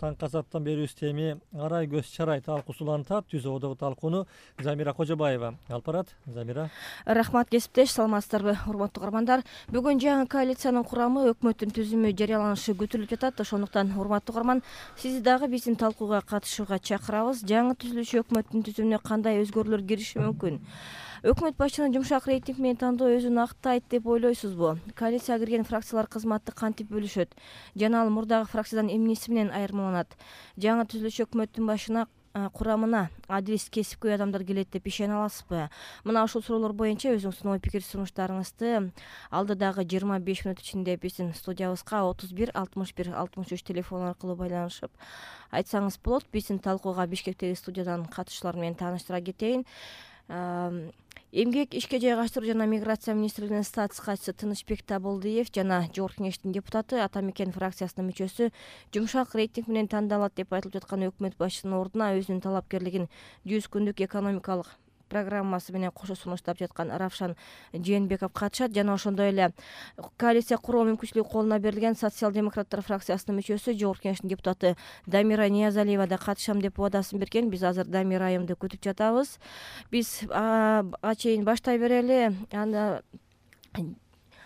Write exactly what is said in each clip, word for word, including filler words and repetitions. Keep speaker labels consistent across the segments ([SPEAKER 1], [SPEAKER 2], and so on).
[SPEAKER 1] таңкы азаттан берүүбүз теми арай көз чарай талкуусу улантат. Түз ободогу талкууну Замира Кожобаева алып барат. Замира.
[SPEAKER 2] Рахмат кесиптеш, саламатсыздарбы урматтуу угармандар. Бүгүн жаңы коалициянын курамы, өкмөттүн түзүмү жарыяланышы күтүлүп жатат. Ошондуктан урматтуу угарман, сизди дагы биздин талкууга катышууга чакырабыз. Жаңы түзүлүшү өкмөттүн түзүмүнө кандай өзгөрүүлөр кириши мүмкүн? Өкмөт башчынын жумшак рейтинг менен тандоо өзүн актайт деп ойлойсузбу? Коалицияга кирген фракциялар кызматты кантип бөлүшөт? Жана ал мурдагы фракциядан эмнеси менен айырмаланат? Жаңы түзүлүш өкмөттүн башына курамына адил кесипкөй адамдар келет деп ишене аласызбы? Мына ушул суроолор боюнча өзүңүздүн ой пикир сунуштарыңызды алдыдагы жыйырма беш мүнөт ичинде биздин студиябызга отуз бир алтымыш бир алтымыш үч телефон аркылуу байланышып айтсаңыз болот. Биздин талкууга Бишкектеги студиядан катышуулар менен тааныштыра кетейин. Эмгек, ишке жайгаштыруу жана миграция министрлигинин статс катчысы Тынычбек Табылдиев жана Жогорку Кеңештин депутаты, Ата Мекен фракциясынын мүчөсү жумшак рейтинг менен тандалат деп айтылып жаткан өкмөт башчынын ордуна өзүнүн талапкерлигин жүз күндүк экономикалык программасы менен кошо сунуштап жаткан Равшан Жээнбеков катышат. Жана ошондой эле коалиция куруу мүмкүнчүлүгү колуна берилген социал-демократтар фракциясынын мүчөсү, Жогорку Кеңештин депутаты Дамира Ниязалиева да катышам деп убадасын берген. Биз азыр Дамира айымды күтүп жатабыз. Биз ага чейин баштай берели. Анда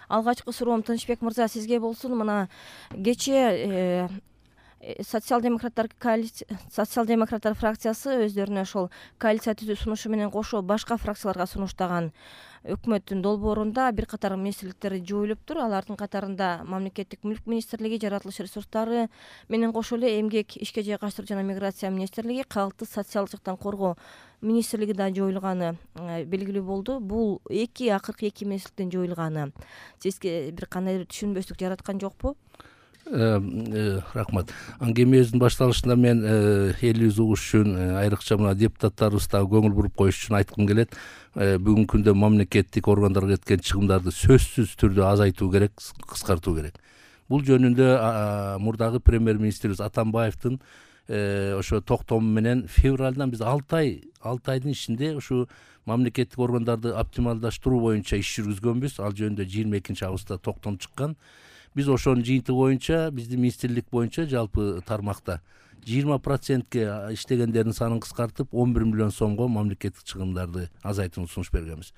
[SPEAKER 2] алгачкы суроом Тынычбек мырза сизге болсун. Мына кечээ социал-демократтар коалиция социал-демократтар фракциясы өздөрүнө ошол коалиция түзүү сунушу менен кошо башка фракцияларга сунуштаган өкмөттүн долбоорунда бир катар министрликтер жоюлуптур. Алардын катарында Мамлекеттик мүлк министрлиги, жаратылыш ресурстары менен кошо эле Эмгек, ишке жайгаштыруу жана миграция министрлиги, Калкты социалдык жактан коргоо министрлиги да жоюлганы белгилүү болду. Бул эки акыркы эки министрликтин жоюлганы сизге бир кандай бир түшүнбөстүк жараткан жокпу?
[SPEAKER 3] Рахмат. Аңгемебиздин башталышында мен элибиз угуш үчүн, айрыкча мына депутаттарыбыз дагы көңүл буруп коюш үчүн айткым келет. Бүгүнкү күндө мамлекеттик органдарга кеткен чыгымдарды сөзсүз түрдө азайтуу керек, кыскартуу керек. Бул жөнүндө мурдагы премьер-министрибиз Атамбаевдин ошо токтому менен февралдан биз алты ай алты айдын ичинде ушу мамлекеттик органдарды оптималдаштыруу боюнча иш жүргүзгөнбүз. Ал жөнүндө жыйырма экинчи августта токтом чыккан. Биз ошонун жыйынтыгы боюнча биздин министрлик боюнча жалпы тармакта жыйырма процентке иштегендердин санын кыскартып он бир миллион сомго мамлекеттик чыгымдарды азайтууну сунуш бергенбиз.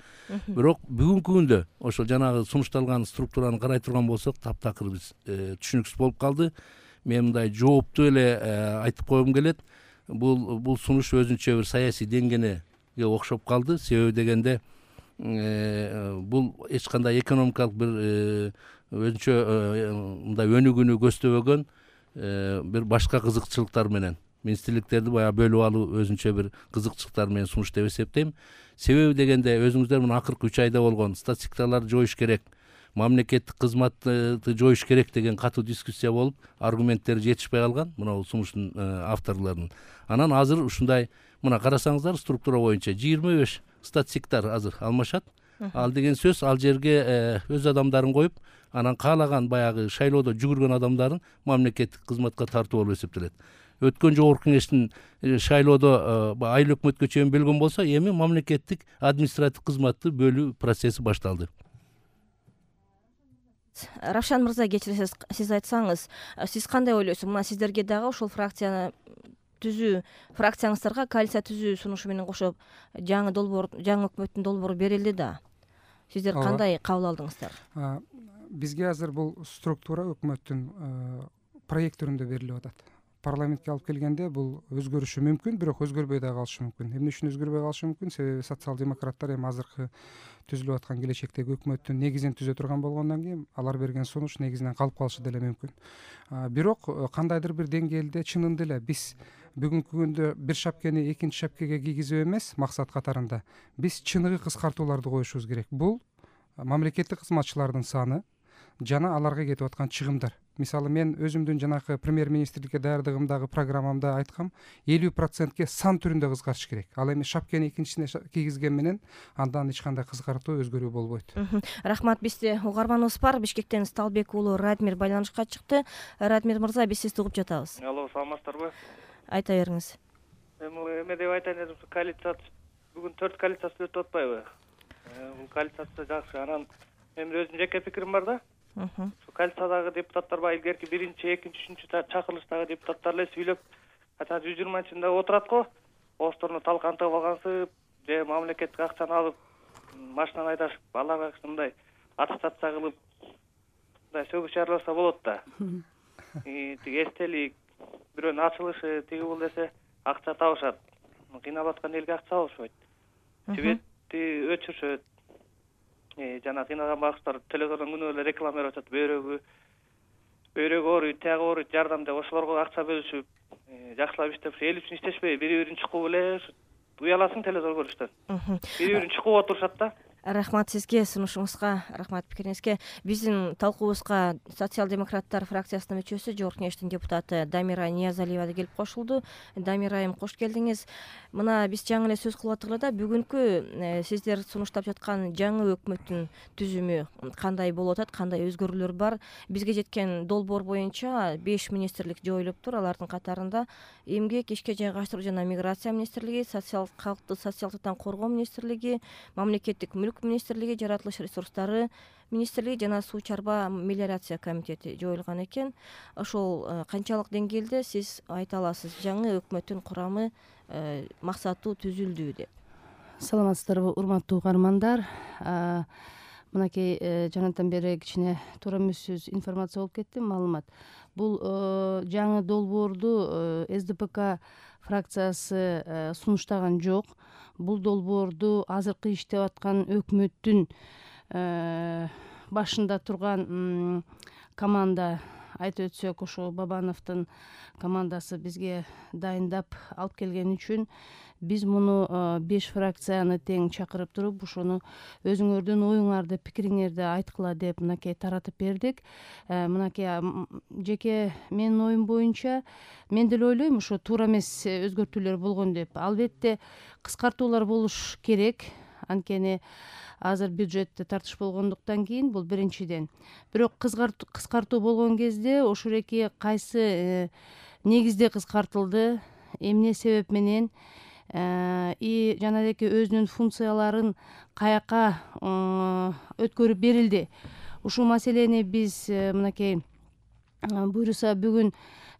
[SPEAKER 3] Бирок бүгүнкү күндө ошол жанагы сунушталган структураны карай турган болсок, таптакыр биз түшүнүксүз болуп калды. Мен мындай жооптуу эле айтып койгум келет. Бул бул сунуш өзүнчө бир саясий деңгээлге окшоп калды. Себеби дегенде бул эч кандай экономикалык бир өзүнчө мындай өнүгүүнү көздөбөгөн бир башка кызыкчылыктар менен министрликтерди баягы бөлүп алуу өзүнчө бир кызыкчылыктар менен сунуш деп эсептейм. Себеби дегенде өзүңүздөр мына акыркы үч айда болгон статистикаларды жоюш керек, мамлекеттик кызматты жоюш керек деген катуу дискуссия болуп, аргументтери жетишпей калган мына бул сунуштун авторлорунун. Анан азыр ушундай мына карасаңыздар структура боюнча жыйырма беш статистиктар азыр алмашат. Ал деген сөз ал жерге өз адамдарын коюп, анан каалаган баягы шайлоодо жүгүргөн адамдарын мамлекеттик кызматка тартуу болуп эсептелет. Өткөн Жогорку Кеңештин шайлоодо айыл өкмөткө чейин бөлгөн болсо, эми мамлекеттик административ кызматты бөлүү процесси башталды.
[SPEAKER 2] Равшан мырза, кечиресиз, сиз айтсаңыз, сиз кандай ойлойсуз? Мына сиздерге дагы ошол фракцияны түзүү фракцияңыздарга коалиция түзүү сунушу менен кошо жаңы долбоор, жаңы өкмөттүн долбоору берилди да. Сиздер кандай кабыл алдыңыздар?
[SPEAKER 4] Бизге азыр бул структура өкмөттүн проект түрүндө берилип атат. Парламентке алып келгенде бул өзгөрүшү мүмкүн, бирок өзгөрбөй да калышы мүмкүн. Эмне үчүн өзгөрбөй калышы мүмкүн? Себеби социал-демократтар эми азыркы түзүлүп аткан келечектеги өкмөттүн негизин түзө турган болгондон кийин алар берген сунуш негизинен калып калышы деле мүмкүн. Бирок кандайдыр бир деңгээлде чынында эле биз бүгүнкү күндө бир шапкени экинчи шапкеге кийгизүү эмес, максат катарында биз чыныгы кыскартууларды коюшубуз керек. Бул мамлекеттик кызматчылардын саны жана аларга кетип аткан чыгымдар. Мисалы мен өзүмдүн жанакы премьер-министрликке даярдыгымдагы программамда айткам, элүү процентке сан түрүндө кыскартыш керек. Ал эми шапкени экинчисине кийгизген менен андан эч кандай кыскартуу өзгөрүү болбойт.
[SPEAKER 2] Рахмат. Бизде угарманыбыз бар. Бишкектен Сталбек уулу Радмир байланышка чыкты. Радмир мырза, биз сизди угуп жатабыз.
[SPEAKER 5] Алло, саламатсыздарбы?
[SPEAKER 2] Айта бериңиз.
[SPEAKER 5] Эми эме деп айтайын дедим, коалиция бүгүн төрт коалициясы өтүп атпайбы? Бул коалициясы жакшы. Анан мен өзүмдүн жеке пикирим бар да. Ушу коалициядагы депутаттар баягы илгерки биринчи, экинчи, үчүнчү чакырылыштагы депутаттар эле сүйлөп, качан жүз жыйырманчында отурат го, оозторуна талкантып алгансып, же мамлекеттик акчаны алып машинаны айдашып, аларга мындай аттестация кылып, мындай сөгүш жарыяласа болот да. Тиги эстелик, бирөөнүн ачылышы тиги бул десе акча табышат. Кыйналып аткан элге акча алышпайт. Түбетти өчүрүшөт. Жана кыйналган багыштар телевизордон күнөө эле реклама берип атат. Бөйрөгү, бөйрөгү ооруйт, тиягы ооруйт, жардам деп ошолорго акча бөлүшүп, жакшылап иштеп, эл үчүн иштешпей, бири-бирин чукуп эле уяласың телевизор көрүштөн. Бири-бирин чукуп отурушат да.
[SPEAKER 2] Рахмат сизге, сунушуңузга, рахмат пикириңизге. Биздин талкуубузга социал-демократтар фракциясынын мүчөсү, Жогорку Кеңештин депутаты Дамира Ниязалиева да келип кошулду. Дамира айым, кош келдиңиз. Мына биз жаңы эле сөз кылып аттык эле да, бүгүнкү сиздер сунуштап жаткан жаңы өкмөттүн түзүмү кандай болуп атат, кандай өзгөрүүлөр бар? Бизге жеткен долбоор боюнча беш министрлик жоюлуптур. Алардын катарында эмгек, ишке жайгаштыруу жана миграция министрлиги, социал калкты социалдыктан коргоо министрлиги, мамлекеттик мүлк министрлиги, жаратылыш ресурстары министрлиги жана суу чарба мелиорация комитети жоюлган экен. Ошол канчалык деңгээлде сиз айта аласыз, жаңы өкмөттүн курамы максаттуу түзүлдү деп?
[SPEAKER 6] Саламатсыздарбы, урматтуу угармандар. Мынакей жанатан бери кичине туура эмес информация болуп кетти, маалымат. Бул жаңы долбоорду эс дэ пэ ка фракциясы сунуштаган жок. Бул долбоорду азыркы иштеп аткан өкмөттүн башында турган команда, айтып өтсөк, ошо Бабановдун командасы бизге дайындап алып келген үчүн биз муну беш фракцияны тең чакырып туруп, ошону өзүңөрдүн оюңарды, пикириңерди айткыла деп мынакей таратып бердик. Мынакей жеке менин оюм боюнча мен деле ойлойм, ошо туура эмес өзгөртүүлөр болгон деп. Албетте кыскартуулар болуш керек. Анткени азыр бюджетте тартыш болгондуктан кийин бул биринчиден. Бирок кыскартуу болгон кезде ошол эки кайсы негизде кыскартылды, эмне себеп менен и жанагы өзүнүн функцияларын каяка өткөрүп берилди. Ушул маселени биз мынакей буюрса бүгүн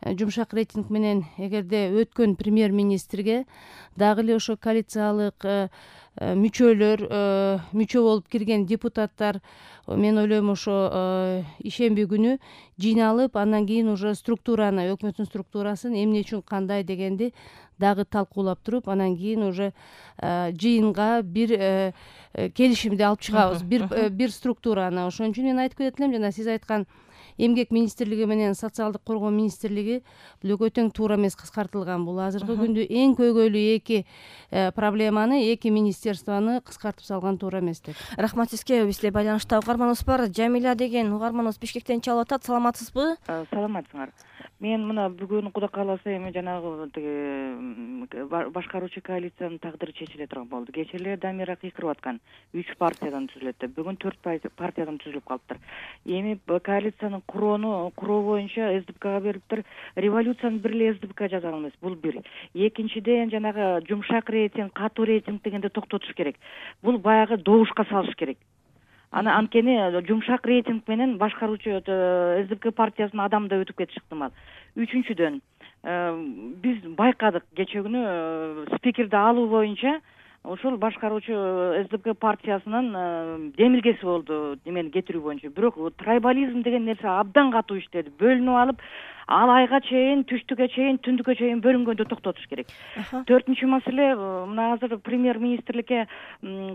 [SPEAKER 6] жумшак рейтинг менен эгерде өткөн премьер-министрге дагы эле ошо коалициялык мүчөлөр, мүчө болуп кирген депутаттар, мен ойлойм ошо ишемби күнү жыйналып, андан кийин уже структураны, өкмөттүн структурасын эмне үчүн кандай дегенди дагы талкуулап туруп, анан кийин уже жыйынга бир келишимди алып чыгабыз, бир бир структураны. Ошон үчүн мен айтып кетет элем, жана сиз айткан эмгек министрлиги менен социалдык коргоо министрлиги бул экөө тең туура эмес кыскартылган. Бул азыркы күндө эң көйгөйлүү эки проблеманы, эки министерствону кыскартып салган туура эмес деп.
[SPEAKER 2] Рахмат сизге. Бизде байланышта угарманыбыз бар. Жамиля деген угарманыбыз Бишкектен чалып атат. Саламатсызбы?
[SPEAKER 7] Саламатсыңар. Мен мына бүгүн Кудай кааласа эми жанагы тиги башкаруучу коалициянын тагдыры чечиле турган болду. Кечээ эле Дамира кыйкырып аткан үч партиядан түзүлөт деп. Бүгүн төрт партиядан түзүлүп калыптыр. Эми коалициянын куроону куроо боюнча эс дэ пэ кага бериптир. Революцияны бир эле эс дэ пэ ка жаза алмайбыз. Бул бир. Экинчиден жанагы жумшак рейтинг, катуу рейтинг дегенде токтотуш керек. Бул баягы добушка салыш керек. Аны анткени жумшак рейтинг менен башкаруучу эс дэ пэ ка партиясынын адамы да өтүп кетиши ыктымал. Үчүнчүдөн биз байкадык кечээ күнү спикерди алуу боюнча ошол башкаруучу эс дэ пэ ка партиясынын демилгеси болду эмени кетирүү боюнча. Бирок трайбализм деген нерсе абдан катуу иштеди. Бөлүнүп алып, ал айга чейин, түштүккө чейин, түндүккө чейин бөлүнгөндө токтотуш керек. Төртүнчү маселе, мына азыр премьер-министрликке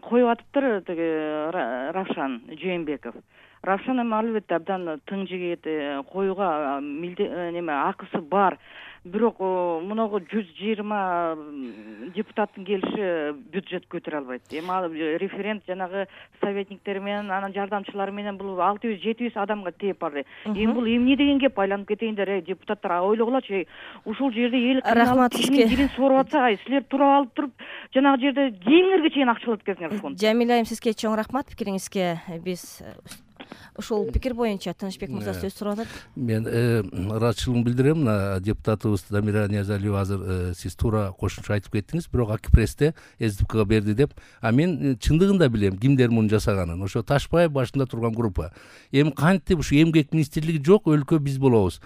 [SPEAKER 7] коюп атыптыр тиги Равшан Жээнбеков. Равшан эми албетте абдан тың жигит, коюуга неме акысы бар. Бирок мунагу жүз жыйырма депутаттын келиши бюджет көтөрө албайт. Эми ал референт жанагы советниктер менен, анан жардамчылары менен бул алты жүз жети жүз адамга тээп барды. Эми бул эмне деген кеп, айланып кетейиндер, эй депутаттар ойлогулачы, ушул жерде эл
[SPEAKER 2] рахмат сизге.
[SPEAKER 7] Дилин соруп атса, ай силер туруп алып туруп жанагы жерде кийимиңерге чейин акчалап кетсиңер фонд.
[SPEAKER 2] Жамиля айым, сизге чоң рахмат пикириңизге. Биз ушул пикир боюнча Тынычбек мырза сөз сурап атат.
[SPEAKER 3] Мен ыраазычылыгымды билдирем. Мына депутатыбыз Дамира Ниязалиева азыр сиз туура кошумча айтып кеттиңиз, бирок Акипрессте СДПКга берди деп. А мен чындыгында билем кимдер муну жасаганын. Ошо Ташбаев башында турган группа. Эми кантип ушу эмгек министрлиги жок, өлкө биз болобуз.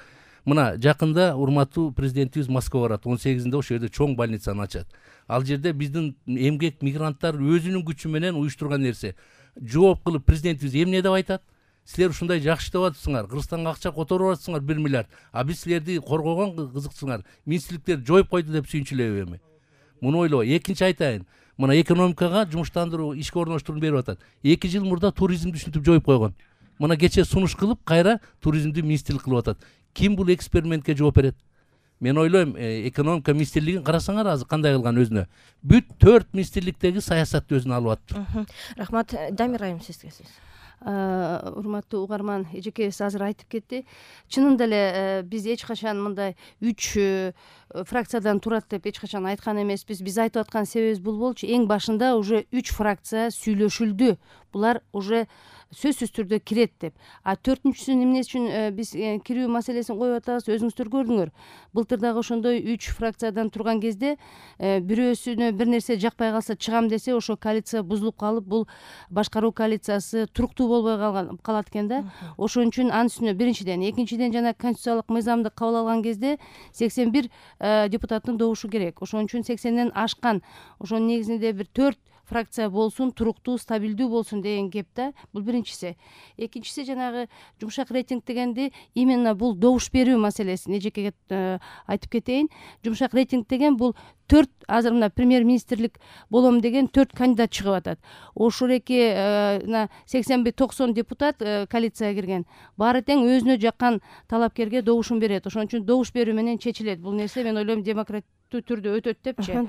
[SPEAKER 3] Мына жакында урматтуу президентибиз Москвага барат. он сегизинде ошол жерде чоң больницаны ачат. Ал жерде биздин эмгек мигранттар өзүнүн күчү менен уюштурган нерсе. Жооп кылып президентибиз эмне деп айтат? Силер ушундай жакшы деп атасыңар, Кыргызстанга акча которуп атасыңар бир миллиард. А биз силерди коргогон кызыксыңар. Министрликтер жоюп койду деп сүйүнчүлөбү эми? Муну ойлоо. Экинчи айтайын. Мына экономикага жумуштандыруу, ишке орноштурууну берип атат. эки жыл мурда туризмди ушинтип жоюп койгон. Мына кече сунуш кылып, кайра туризмди министрлик кылып атат. Ким бул экспериментке жооп берет? Мен ойлойм, экономика министрлигин карасаңар азыр кандай кылган өзүнө. Бүт төрт министрликтеги саясатты өзүнө алып атты.
[SPEAKER 2] Рахмат. Дамир айым сизге сөз.
[SPEAKER 6] Урматтуу угарман, эжекебиз азыр айтып кетти. Чынында эле биз эч качан мындай үч фракциядан турат деп эч качан айткан эмеспиз. Биз айтып аткан себебибиз бул болчу. Эң башында уже үч фракция сүйлөшүлдү. Булар уже сөзсүз түрдө кирет деп. А төртүнчүсүн эмне үчүн биз кирүү маселесин коюп атабыз, өзүңүздөр көрдүңөр. Былтыр дагы ошондой үч фракциядан турган кезде бирөөсүнө бир нерсе жакпай калса чыгам десе, ошо коалиция бузулуп калып, бул башкаруу коалициясы туруктуу болбой калган калат экен да. Ошон үчүн анын үстүнө биринчиден, экинчиден жана конституциялык мыйзамды кабыл алган кезде сексен бир депутаттын добушу керек. Ошон үчүн сексенден ашкан. Ошонун негизинде бир төрт фракция болсун, туруктуу, стабилдүү болсун деген кеп да. Бул биринчиси. Экинчиси жанагы жумшак рейтинг дегенди именно бул добуш берүү маселесин эжекеге айтып кетейин. Жумшак рейтинг деген бул төрт азыр мына премьер-министрлик болом деген төрт кандидат чыгып атат. Ошол эки мына сексен бир токсон депутат коалицияга кирген. Баары тең өзүнө жаккан талапкерге добушун берет. Ошон үчүн добуш берүү менен чечилет. Бул нерсе мен ойлойм демократиялык түрдө өтөт депчи.